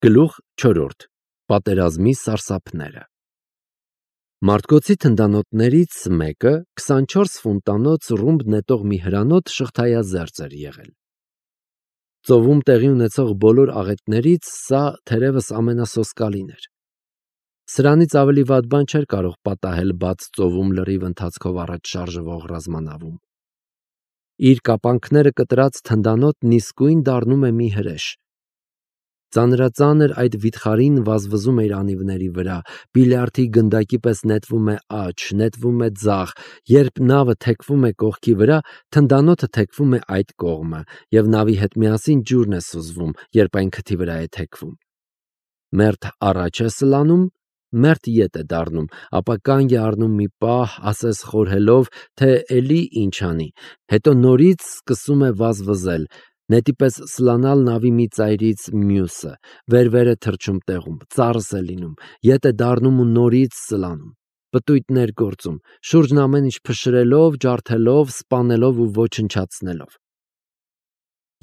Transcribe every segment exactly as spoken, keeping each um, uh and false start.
Գլուխ չորրորդ. Պատերազմի սարսափները։ Մարտկոցի թնդանոթներից մեկը քսանչորս ֆունտանոց ռումբ նետող մի հրանոթ շղթայազերծ էր եղել։ Ծովում տեղի ունեցող բոլոր աղետներից սա թերևս ամենասոսկալին էր։ Սրանից ավելի վատ բան չէր կարող պատահել բաց ծովում լրիվ ընթացքով առաջ շարժվող ռազմանավում։ Իր կապանքները կտրած թնդանոթն իսկույն դառնում է մի հրեշ։ Ծանրածանր այդ վիթխարին վազվզում է իր անիվների վրա, բիլիարդի գնդակի պես նետվում է աջ, նետվում է ձախ, երբ նավը թեքվում է կողքի վրա, թնդանոթը թեքվում է այդ կողմը, և նավի հետ միասին ջուրն է սուզվում, երբ այն քթի վրա է թեքվում։ Մերթ առաջ է սլանում, մերթ ետ է դառնում, ապա կանգ է առնում մի պահ, ասես խորհելով, թե էլի ինչ անի, հետո նորից սկսում է վազվզել, նետի պես սլանալ նավի մի ծայրից մյուսը, վեր-վեր է թռչում տեղում, ծարս է լինում, ետ է դառնում ու նորից սլանում, պտույտներ գործում, շուրջն ամեն ինչ փշրելով, ջարդելով, սպանելով ու ոչնչացնելով։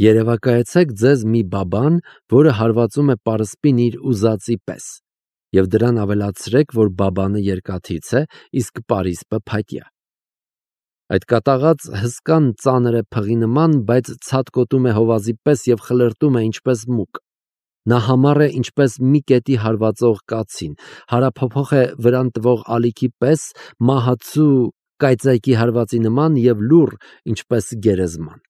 Երևակայեցեք ձեզ մի բաբան, որը հարվածում է պարսպին իր ուզածի պես, և դրան ավելացրեք, որ բաբանը երկաթից է, իսկ պարիսպը փայտյա։ Այդ կատաղած հսկան ծանր է փղի նման, բայց ցատկոտում է հովազի պես և խլրտում է ինչպես մուկ։ Նա համառ է ինչպես մի կետի հարվածող կացին, հարափոփոխ է վրան տվող ալիքի պես, մահացու կայծակի հարվածի նման և լուռ, ինչպես գերեզման։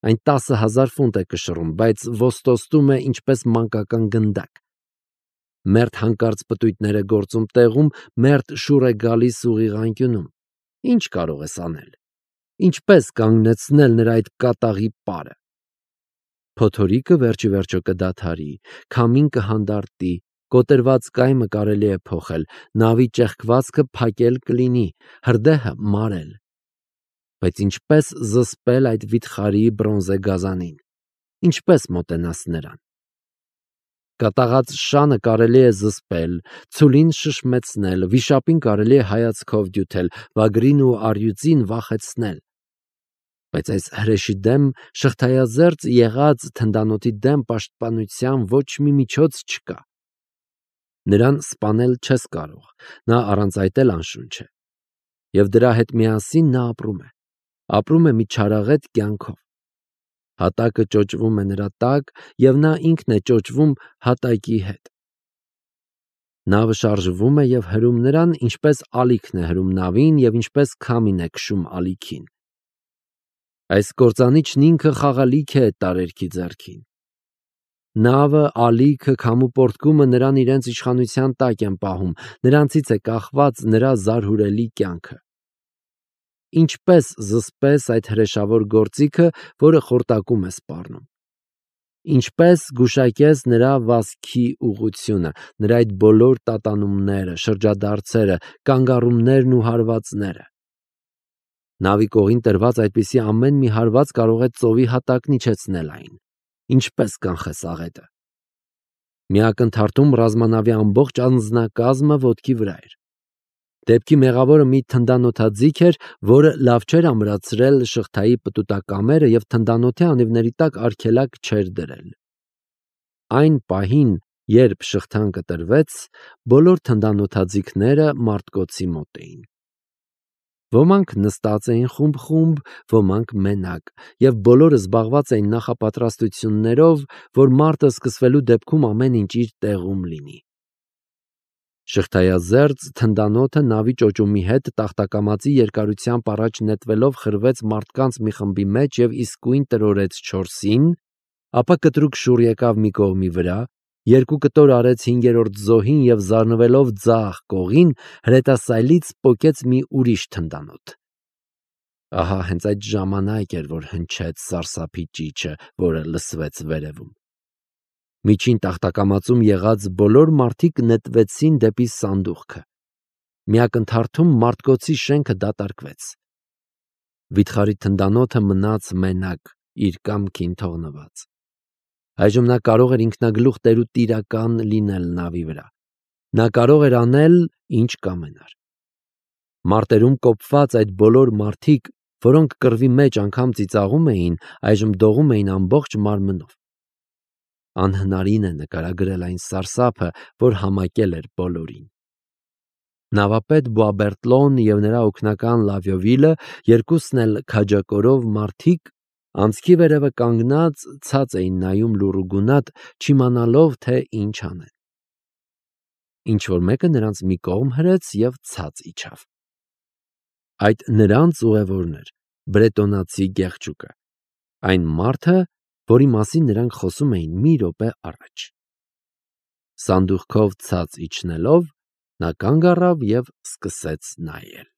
Այն տասը հազար ֆունտ է կշռում, բայց ոստոստում է ինչպես մանկական գնդակ։ Մերթ հանկարծ պտույտներ է գործում տեղում, մերթ շուռ է գալիս ուղիղ անկյունում։ Ինչ կարող ես անել։ Ինչպես կանգնեցնել նրա այդ կատաղի պարը։ Փոթորիկը վերջի վերջո կդադարի, քամին կհանդարտի, կոտրված կայմը կարելի է փոխել, նավի ճեղքվածքը փակել կլինի, հրդեհը մարել։ Բայց ինչպես զսպել այդ վիթխարի բրոնզե գազանին։ Ինչպես մոտենաս նրան։ Կատաղած շանը կարելի է զսպել, ցուլին շշմեցնել, վիշապին կարելի է հայացքով դյութել, վագրին ու առյուծին վախեցնել։ Բայց այս հրեշի դեմ, շղթայազերծ եղած թնդանոթի դեմ պաշտպանության ոչ մի միջոց չկա։ Նրան սպանել չես կարող, նա առանց այդ էլ անշունչ է։ Եվ դրա հետ միասին նա ապրում է, ապրում է մի չարաղետ կյանքով։ Հատակը ճոճվում է նրա տակ, և նա ինքն է ճոճվում հատակի հետ։ Նավը շարժվում է և հրում նրան, ինչպես ալիքն է հրում նավին և ինչպես քամին է քշում ալիքին։ Այս կործանիչն ինքը խաղալիք է տարերքի ձեռքին։ Նավը, ալիքը, քամու պոռթկումը նրան իրենց իշխանության տակ են պահում, նրանցից է կախված նրա զարհուրելի կյանքը։ Ինչպես զսպես այդ հրեշավոր գործիքը, որը խորտակում է սպառնում։ Ինչպես գուշակես նրա վազքի ուղղությունը, նրա այդ բոլոր տատանումները, շրջադարձերը, կանգառումներն ու հարվածները։ Նավի կողին տրված այդպիսի ամեն մի հարված կարող է ծովի հատակն իջեցնել այն։ Ինչպես կանխես աղետը։ Մի ակնթարթում ռազմանավի ամբողջ անձնակազմը ոտքի վրա էր։ Դեպքի մեղավորը մի թնդանոթաձիգ էր, որը լավ չէր ամրացրել շղթայի պտուտակամերը և թնդանոթի անիվների տակ արգելակ չէր դրել։ Այն պահին, երբ շղթան կտրվեց, բոլոր թնդանոթաձիգները մարտկոցի մոտ էին։ Ոմանք նստած էին խումբ-խումբ, ոմանք մենակ, և բոլորը զբաղված էին նախապատրաստություններով, որ մարտը սկսվելու դեպքում ամեն ինչ իր տեղում լինի։ Շղթայազերծ թնդանոթը նավի ճոճումի հետ տախտակամածի երկարությամբ առաջ նետվելով խրվեց մարդկանց մի խմբի մեջ և իսկույն տրորեց չորսին, ապա կտրուկ շուռ եկավ մի կողմի վրա, երկու կտոր արեց հինգերորդ զոհին և զարնվելով ձախ կողին, հրետասայլից պոկեց մի ուրիշ թնդանոթ։ Ահա հենց այդ ժամանակ էր, որ հնչեց սարսափի ճիչը, որը լսվեց վերևում։ Միջին տախտակամածում եղած բոլոր մարդիկ նետվեցին դեպի սանդուղքը։ Մի ակնթարթում մարտկոցի շենքը դատարկվեց։ Վիթխարի թնդանոթը մնաց մենակ, իր կամքին թողնված։ Այժմ նա կարող էր ինքնագլուխ տեր ու տիրական լինել նավի վրա։ Նա կարող էր անել, ինչ կամենար։ Մարտերում կոփված այդ բոլոր մարդիկ, որոնք կռվի մեջ անգամ ծիծաղում էին, այժմ դողում էին ամբողջ մարմնով։ Անհնարին է նկարագրել այն սարսափը, որ համակել էր բոլորին։ Նավապետ Բուաբերտլոն և նրա օգնական Լավիովիլը, երկուսն էլ քաջակորով մարդիկ, անցքի վերևը կանգնած ցած էին նայում լուռ ու գունատ, չիմանալով, թե ինչ անեն։ Ինչ-որ մեկը նրանց մի կողմ հրեց և ցած իջավ։ Այդ նրանց ուղևորն էր, բրետոնացի գեղջուկը, այն մարդը, որի մասին նրանք խոսում էին մի րոպե առաջ։ Սանդուղքով ցած իջնելով, նա կանգ առավ և սկսեց նայել։